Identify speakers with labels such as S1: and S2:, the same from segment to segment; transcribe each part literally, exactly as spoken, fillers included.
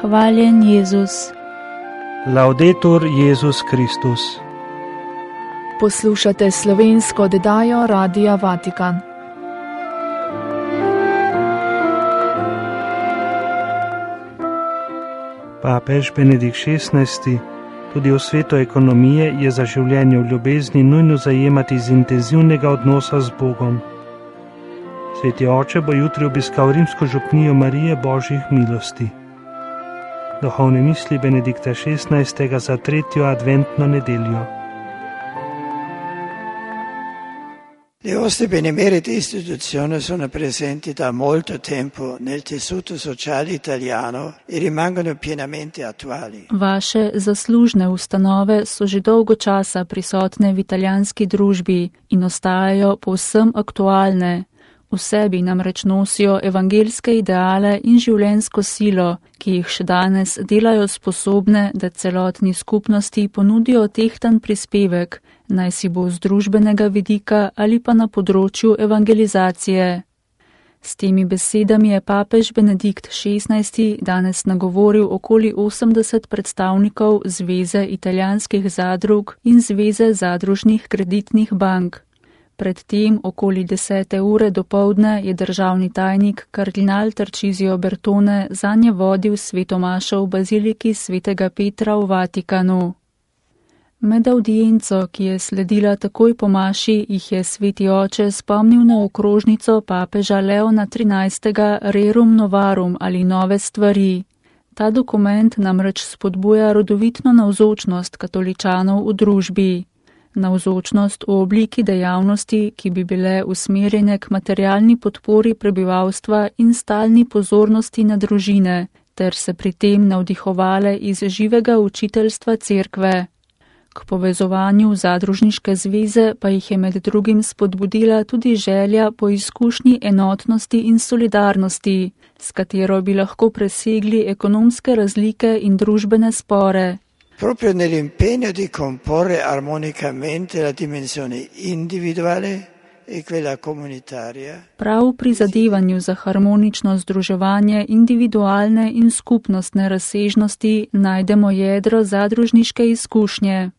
S1: Hvaljen Jezus.
S2: Laudetur Jezus Kristus.
S3: Poslušate slovensko oddajo Radia Vatikan.
S2: Papež Benedikt šestnajsti tudi v svetu ekonomije je za življenje v ljubezni nujno zajemati iz intenzivnega odnosa z Bogom. Sveti oče bo jutri obiskal rimsko župnijo Marije Božjih milosti. Duhovne misli Benedikta šestnajstega za tretjo adventno nedeljo.
S4: Le vostre benemerite istituzioni sono presenti da molto tempo nel tessuto sociale italiano e rimangono pienamente attuali.
S1: Vaše zaslužne ustanove so že dolgo časa prisotne v italijanski družbi in ostajajo povsem aktualne. V sebi namreč nosijo evangeljske ideale in življenjsko silo, ki jih še danes delajo sposobne, da celotni skupnosti ponudijo tehtan prispevek, naj si bo z družbenega vidika ali pa na področju evangelizacije. S temi besedami je papež Benedikt šestnajsti danes nagovoril okoli osemdeset predstavnikov Zveze italijanskih zadrug in Zveze zadružnih kreditnih bank. Predtem okoli desete ure dopoldne je državni tajnik kardinal Tarcisio Bertone zanje vodil svetomašo v baziliki svetega Petra v Vatikanu. Med avdienco, ki je sledila takoj po maši, jih je sveti oče spomnil na okrožnico papeža Leona trinajstega Rerum Novarum ali nove stvari. Ta dokument namreč spodbuja rodovitno navzočnost katoličanov v družbi. Navzočnost v obliki dejavnosti, ki bi bile usmerjene k materialni podpori prebivalstva in stalni pozornosti na družine, ter se pri tem navdihovale iz živega učiteljstva cerkve. K povezovanju zadružniške zveze pa jih je med drugim spodbudila tudi želja po izkušnji enotnosti in solidarnosti, s katero bi lahko presegli ekonomske razlike in družbene spore.
S4: Proprio nell'impegno di comporre armonicamente la dimensione individuale e quella comunitaria.
S1: Prav v prizadevanju za harmonično združevanje individualne in skupnostne razsežnosti najdemo jedro zadružniške izkušnje.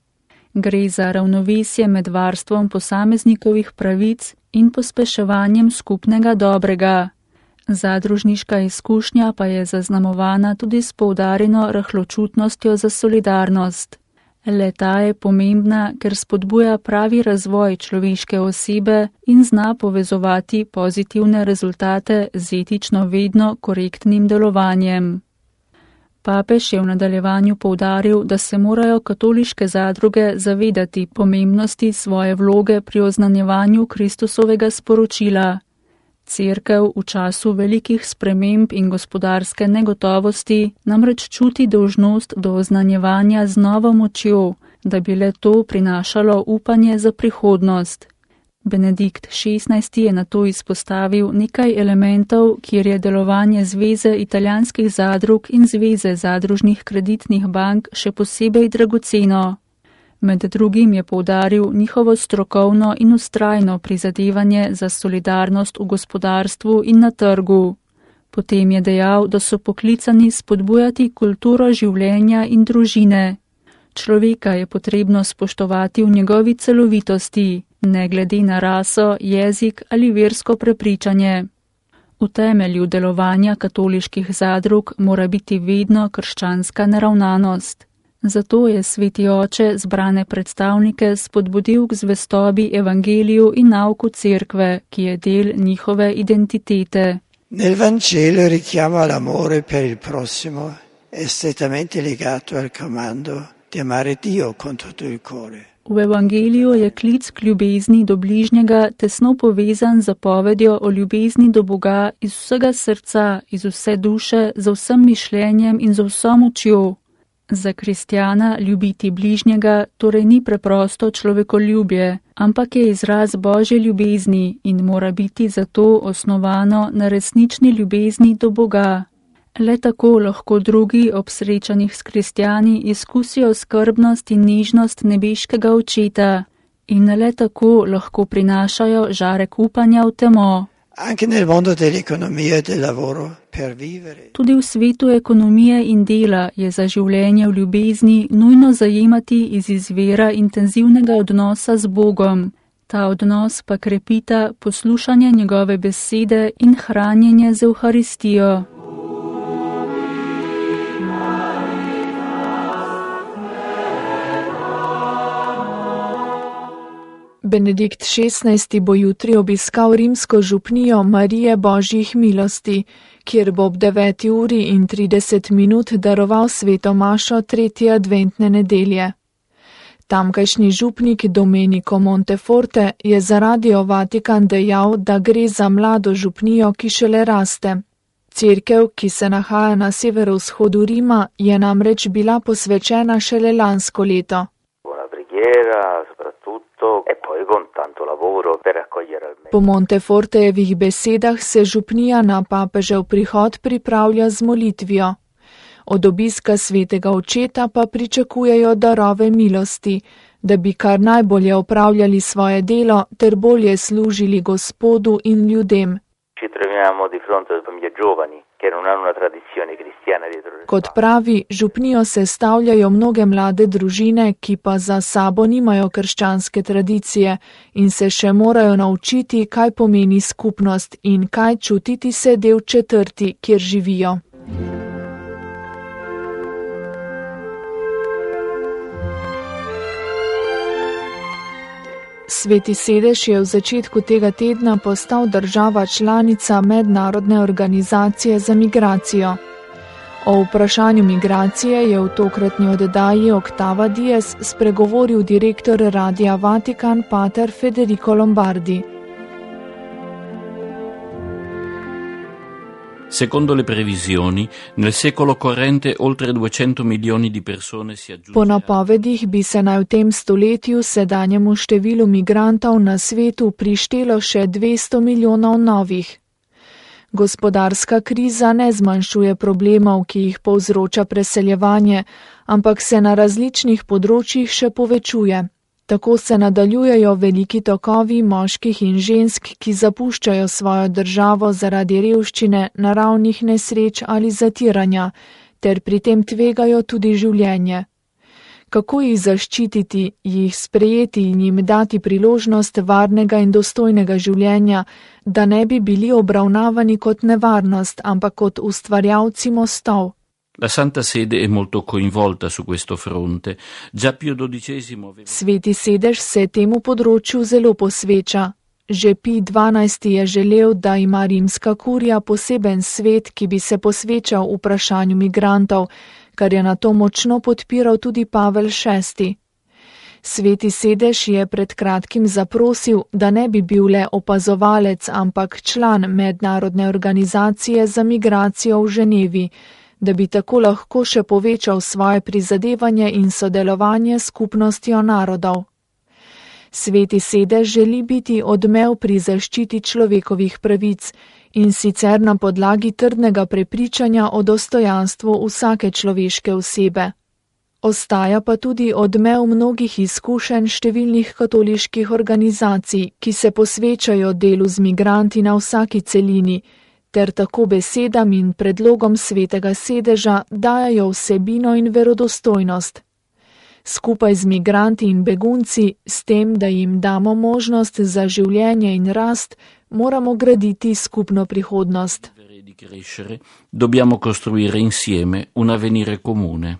S1: Gre za ravnovesje med varstvom posameznikovih pravic in pospeševanjem skupnega dobrega. Zadružniška izkušnja pa je zaznamovana tudi s poudarjeno rahločutnostjo za solidarnost. Le-ta je pomembna, ker spodbuja pravi razvoj človeške osebe in zna povezovati pozitivne rezultate z etično vedno korektnim delovanjem. Papež je v nadaljevanju poudaril, da se morajo katoliške zadruge zavedati pomembnosti svoje vloge pri oznanjevanju Kristusovega sporočila. Cerkev v času velikih sprememb in gospodarske negotovosti namreč čuti dolžnost do oznanjevanja z novo močjo, da bi le to prinašalo upanje za prihodnost. Benedikt šestnajsti je nato izpostavil nekaj elementov, kjer je delovanje Zveze italijanskih zadrug in Zveze zadružnih kreditnih bank še posebej dragoceno. Med drugim je poudaril njihovo strokovno in vztrajno prizadevanje za solidarnost v gospodarstvu in na trgu. Potem je dejal, da so poklicani spodbujati kulturo življenja in družine. Človeka je potrebno spoštovati v njegovi celovitosti, ne glede na raso, jezik ali versko prepričanje. V temelju delovanja katoliških zadrug mora biti vedno krščanska naravnanost. Zato je sveti oče zbrane predstavnike spodbudil k zvestobi evangeliju in nauku cerkve, ki je del njihove identitete.
S4: Nel Vangelo richiamo all'amore per il prossimo è strettamente legato al comando di amare Dio con tutto il cuore.
S1: V evangeliju je klic k ljubezni do bližnjega tesno povezan z zapovedjo o ljubezni do Boga iz vsega srca, iz vse duše, z vsem mišljenjem in z vso močjo. Za kristjana ljubiti bližnjega torej ni preprosto človekoljubje, ampak je izraz Božje ljubezni in mora biti zato osnovano na resnični ljubezni do Boga. Le tako lahko drugi ob srečanjih s kristjani izkusijo skrbnost in nežnost nebeškega očeta in le tako lahko prinašajo žarek upanja v temo.
S4: Anche nel mondo dell'economia e del lavoro, per vivere.
S1: Tudi v svetu ekonomije in dela je za življenje v ljubezni nujno zajemati iz izvira intenzivnega odnosa z Bogom. Ta odnos pa krepita poslušanje njegove besede in hranjenje z Evharistijo.
S3: Benedikt šestnajsti bo jutri obiskal rimsko župnijo Marije Božjih milosti, kjer bo ob deveti uri in trideset minut daroval sveto mašo tretje adventne nedelje. Tamkajšnji župnik Domenico Monteforte je za Radio Vatikan dejal, da gre za mlado župnijo, ki šele raste. Cerkev, ki se nahaja na severovzhodu Rima, je namreč bila posvečena šele lansko leto. Po Montefortejevih besedah se župnija na papežev prihod pripravlja z molitvijo. Od obiska svetega očeta pa pričakujejo darove milosti, da bi kar najbolje opravljali svoje delo ter bolje služili Gospodu in ljudem. Kot pravi, župnijo sestavljajo mnoge mlade družine, ki pa za sabo nimajo krščanske tradicije in se še morajo naučiti, kaj pomeni skupnost in kaj čutiti se del četrti, kjer živijo. Sveti sedež je v začetku tega tedna postal država članica Mednarodne organizacije za migracijo. O vprašanju migracije je v tokratni oddaji Octava Dies spregovoril direktor Radia Vatikan pater Federico Lombardi.
S5: Secondo le previsioni, nel secolo corrente oltre duecento milioni di persone si aggiungeranno.
S3: Po napovedih bi se naj v tem stoletju sedanjemu številu migrantov na svetu prištelo še dvesto milijonov novih. Gospodarska kriza ne zmanjšuje problemov, ki jih povzroča preseljevanje, ampak se na različnih področjih še povečuje. Tako se nadaljujejo veliki tokovi moških in žensk, ki zapuščajo svojo državo zaradi revščine, naravnih nesreč ali zatiranja, ter pri tem tvegajo tudi življenje. Kako jih zaščititi, jih sprejeti in jim dati priložnost varnega in dostojnega življenja, da ne bi bili obravnavani kot nevarnost, ampak kot ustvarjalci mostov?
S5: La Santa Sede è molto coinvolta su questo fronte. Già Pio dodicesimo...
S3: Sveti sedež se temu področju zelo posveča. Že Pij dvanajsti je želel, da ima rimska kurija poseben svet, ki bi se posvečal vprašanju migrantov, kar je na to močno podpiral tudi Pavel šesti. Sveti sedež je pred kratkim zaprosil, da ne bi bil le opazovalec, ampak član Mednarodne organizacije za migracijo v Ženevi, da bi tako lahko še povečal svoje prizadevanje in sodelovanje s skupnostjo narodov. Sveti sedež želi biti odmev pri zaščiti človekovih pravic in sicer na podlagi trdnega prepričanja o dostojanstvu vsake človeške osebe. Ostaja pa tudi odmev mnogih izkušenj številnih katoliških organizacij, ki se posvečajo delu z migranti na vsaki celini, ter tako besedam in predlogom svetega sedeža dajajo vsebino in verodostojnost. Skupaj z migranti in begunci, s tem, da jim damo možnost za življenje in rast, moramo graditi skupno prihodnost.
S5: Dobbiamo costruire insieme un avvenire comune.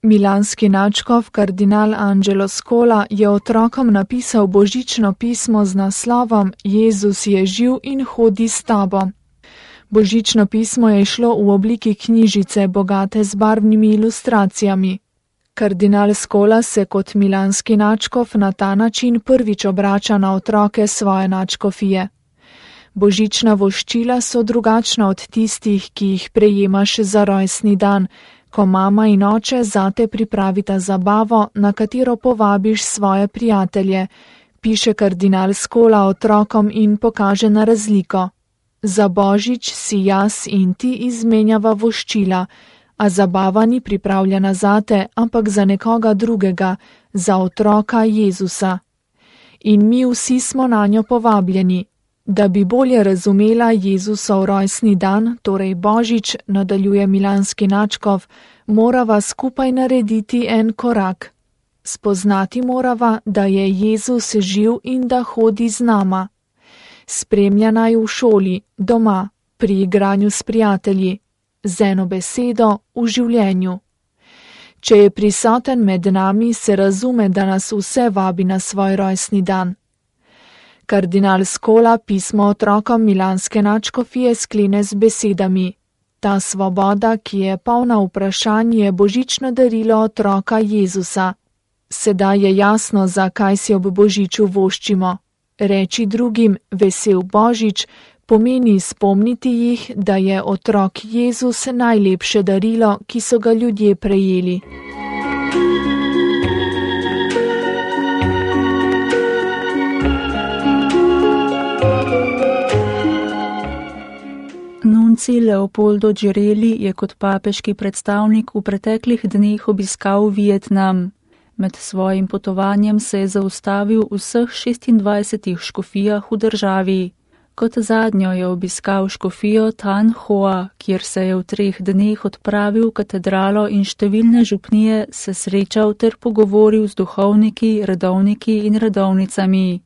S3: Milanski nadškof kardinal Angelo Scola je otrokom napisal božično pismo z naslovom Jezus je živ in hodi s tabo. Božično pismo je šlo v obliki knjižice, bogate z barvnimi ilustracijami. Kardinal Scola se kot milanski nadškof na ta način prvič obrača na otroke svoje nadškofije. Božična voščila so drugačna od tistih, ki jih prejemaš za rojstni dan, ko mama in oče zate pripravita zabavo, na katero povabiš svoje prijatelje, piše kardinal Scola otrokom in pokaže na razliko. Za božič si jaz in ti izmenjava voščila, a zabava ni pripravljena zate, ampak za nekoga drugega, za otroka Jezusa. In mi vsi smo na njo povabljeni. Da bi bolje razumela Jezusov rojstni dan, torej Božič, nadaljuje milanski nadškof, morava skupaj narediti en korak. Spoznati morava, da je Jezus živ in da hodi z nama. Spremlja naj v šoli, doma, pri igranju s prijatelji, z eno besedo v življenju. Če je prisoten med nami, se razume, da nas vse vabi na svoj rojstni dan. Kardinal Scola pismo otrokom milanske nadškofije sklene z besedami: Ta svoboda, ki je polna vprašanj, je božično darilo otroka Jezusa. Sedaj je jasno, zakaj si ob božiču voščimo. Reči drugim vesel Božič pomeni spomniti jih, da je otrok Jezus najlepše darilo, ki so ga ljudje prejeli.
S1: Nunci Leopoldo Girelli je kot papeški predstavnik v preteklih dneh obiskal Vietnam. Med svojim potovanjem se je zaustavil v vseh šestindvajsetih škofijah v državi. Kot zadnjo je obiskal škofijo Tan Hoa, kjer se je v treh dneh odpravil v katedralo in številne župnije se srečal ter pogovoril z duhovniki, redovniki in redovnicami.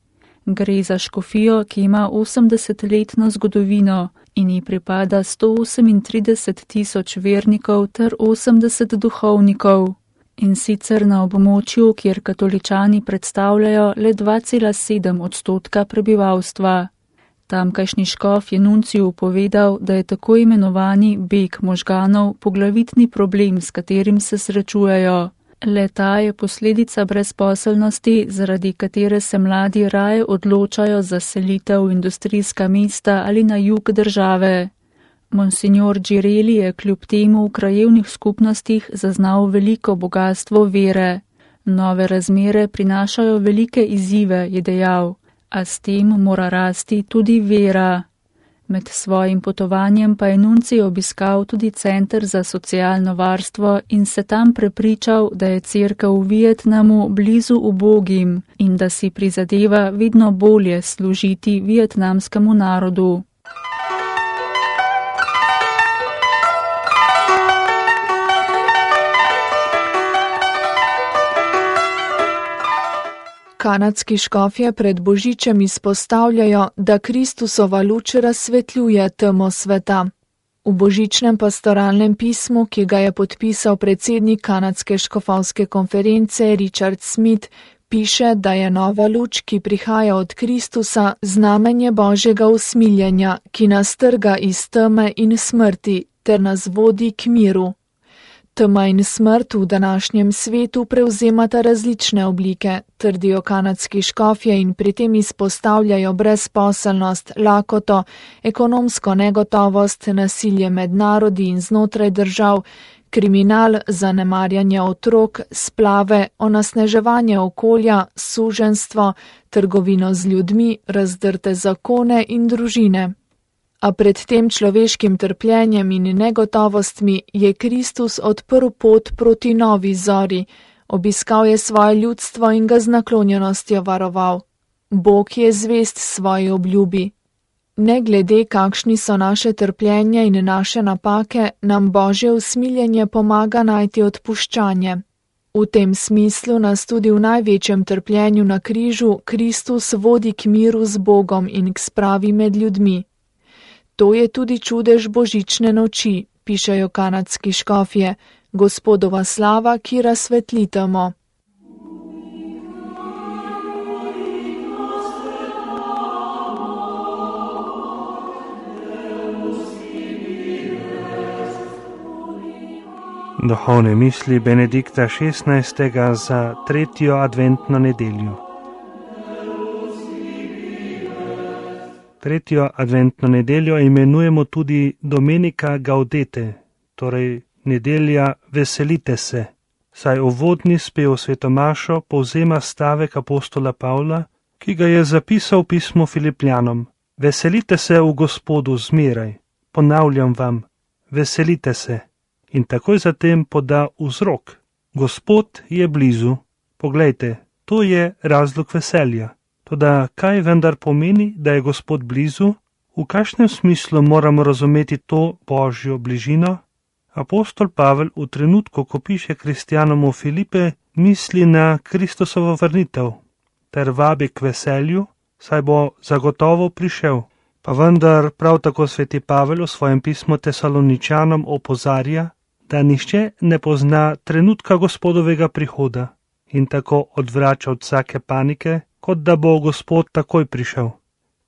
S1: Gre za škofijo, ki ima osemdesetletno zgodovino in ji pripada sto osemintrideset tisoč vernikov ter osemdeset duhovnikov. In sicer na območju, kjer katoličani predstavljajo le dva cela sedem odstotka prebivalstva. Tamkajšnji škof je nunciju povedal, da je tako imenovani beg možganov poglavitni problem, s katerim se srečujejo. Le ta je posledica brezposelnosti, zaradi katere se mladi raje odločajo za selitev v industrijska mesta ali na jug države. Monsignor Girelli je kljub temu v krajevnih skupnostih zaznal veliko bogatstvo vere. Nove razmere prinašajo velike izzive, je dejal, a s tem mora rasti tudi vera. Med svojim potovanjem pa je nunci obiskal tudi center za socialno varstvo in se tam prepričal, da je cerkev v Vietnamu blizu ubogim in da si prizadeva vedno bolje služiti vietnamskemu narodu.
S3: Kanadski škofje pred božičem izpostavljajo, da Kristusova luč razsvetljuje temo sveta. V božičnem pastoralnem pismu, ki ga je podpisal predsednik Kanadske škofovske konference Richard Smith, piše, da je nova luč, ki prihaja od Kristusa, znamenje Božjega usmiljenja, ki nas trga iz teme in smrti ter nas vodi k miru. Tema in smrt v današnjem svetu prevzemata različne oblike, trdijo kanadski škofje in pri tem izpostavljajo brezposelnost, lakoto, ekonomsko negotovost, nasilje med narodi in znotraj držav, kriminal, zanemarjanje otrok, splave, onesnaževanje okolja, suženjstvo, trgovino z ljudmi, razdrte zakone in družine. A pred tem človeškim trpljenjem in negotovostmi je Kristus odprl pot proti novi zori, obiskal je svoje ljudstvo in ga z naklonjenostjo varoval. Bog je zvest svoji obljubi. Ne glede, kakšni so naše trpljenja in naše napake, nam Božje usmiljenje pomaga najti odpuščanje. V tem smislu nas tudi v največjem trpljenju na križu Kristus vodi k miru z Bogom in k spravi med ljudmi. To je tudi čudež božične noči, pišejo kanadski škofje, Gospodova slava, ki razsvetli temo.
S2: Duhovne misli Benedikta šestnajstega za tretjo adventno nedeljo. Tretjo adventno nedeljo imenujemo tudi Domenica Gaudete, torej nedelja Veselite se, saj uvodni spev svetomašo povzema stavek apostola Pavla, ki ga je zapisal v pismu Filipljanom. Veselite se v Gospodu zmeraj, ponavljam vam, veselite se. In takoj zatem poda vzrok. Gospod je blizu. Poglejte, to je razlog veselja. Toda kaj vendar pomeni, da je Gospod blizu? V kakšnem smislu moramo razumeti to Božjo bližino? Apostol Pavel v trenutku, ko piše kristjanom v Filipe, misli na Kristusovo vrnitev ter vabi k veselju, saj bo zagotovo prišel. Pa vendar prav tako sveti Pavel v svojem pismu Tesaloničanom opozarja, da nihče ne pozna trenutka Gospodovega prihoda in tako odvrača od vsake panike, kot da bo Gospod takoj prišel.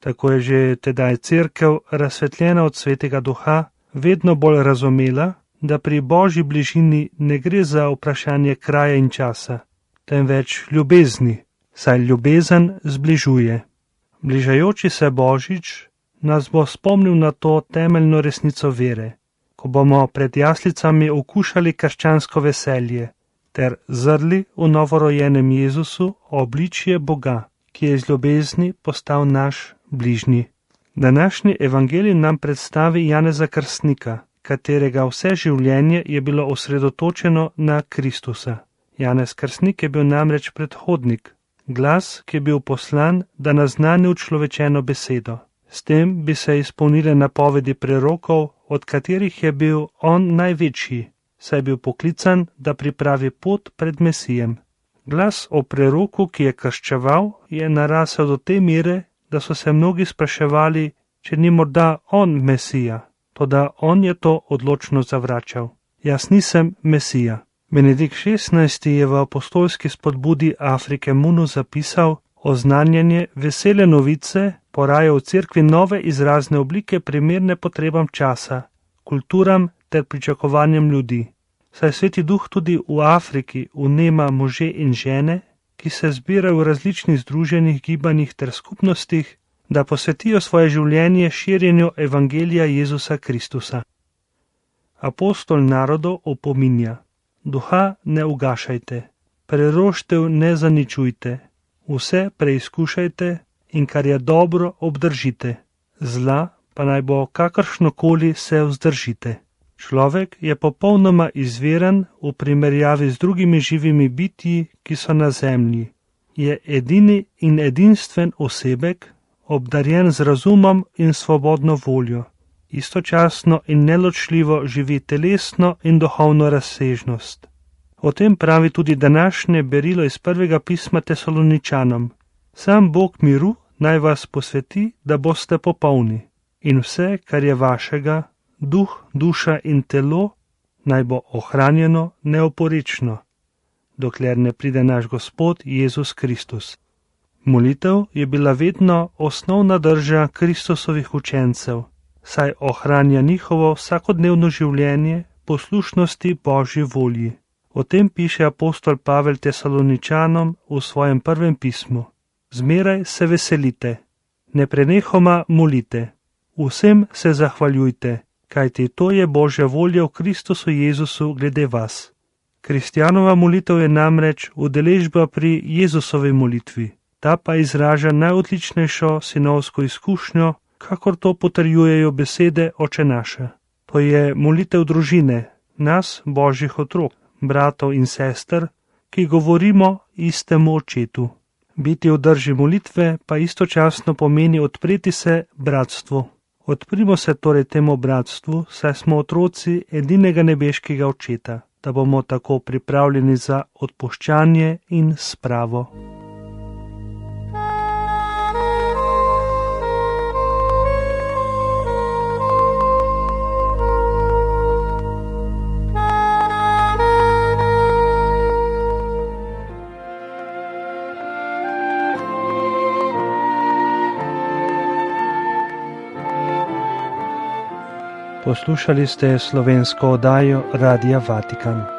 S2: Tako je že tedaj cerkev, razsvetljena od svetega duha, vedno bolj razumela, da pri Božji bližini ne gre za vprašanje kraja in časa, temveč ljubezni, saj ljubezen zbližuje. Bližajoči se Božič nas bo spomnil na to temeljno resnico vere, ko bomo pred jaslicami okušali krščansko veselje ter zrli v novorojenem Jezusu obličje Boga, ki je iz ljubezni postal naš bližnji. Današnji evangelij nam predstavi Janeza Krstnika, katerega vse življenje je bilo osredotočeno na Kristusa. Janez Krstnik je bil namreč predhodnik, glas, ki je bil poslan, da naznani učlovečeno besedo. S tem bi se izpolnile napovedi prerokov, od katerih je bil on največji, saj je bil poklican, da pripravi pot pred Mesijem. Glas o preroku, ki je krščeval, je narasel do te mere, da so se mnogi spraševali, če ni morda on Mesija, toda on je to odločno zavračal. Jaz nisem Mesija. Benedikt šestnajsti je v apostolski spodbudi Afrike Munu zapisal: oznanjanje vesele novice poraja v cerkvi nove izrazne oblike primerne potrebam časa, kulturam ter pričakovanjem ljudi. Saj Sveti Duh tudi v Afriki vnema može in žene, ki se zbirajo v različnih združenih gibanjih ter skupnostih, da posvetijo svoje življenje širjenju evangelija Jezusa Kristusa. Apostol narodov opominja: duha ne ugašajte, preroštev ne zaničujte, vse preizkušajte in kar je dobro obdržite, zla pa naj bo kakršnokoli se vzdržite. Človek je popolnoma izviren v primerjavi z drugimi živimi bitji, ki so na zemlji. Je edini in edinstven osebek, obdarjen z razumom in svobodno voljo. Istočasno in neločljivo živi telesno in duhovno razsežnost. O tem pravi tudi današnje berilo iz prvega pisma Tesaloničanom. Sam Bog miru naj vas posveti, da boste popolni, in vse, kar je vašega, duh, duša in telo, naj bo ohranjeno neoporično, dokler ne pride naš Gospod Jezus Kristus. Molitev je bila vedno osnovna drža Kristusovih učencev, saj ohranja njihovo vsakodnevno življenje poslušnosti Božji volji. O tem piše apostol Pavel Tesaloničanom v svojem prvem pismu. Zmeraj se veselite, neprenehoma molite, vsem se zahvaljujte, kajti to je Božja volja v Kristusu Jezusu glede vas. Kristjanova molitev je namreč udeležba pri Jezusovi molitvi. Ta pa izraža najodličnejšo sinovsko izkušnjo, kakor to potrjujejo besede Oče naše. To je molitev družine, nas, Božjih otrok, bratov in sester, ki govorimo istemu očetu. Biti v drži molitve pa istočasno pomeni odpreti se bratstvu. Odprimo se torej temu bratstvu, saj smo otroci edinega nebeškega očeta, da bomo tako pripravljeni za odpuščanje in spravo. Poslušali ste slovensko oddajo Radia Vatikan.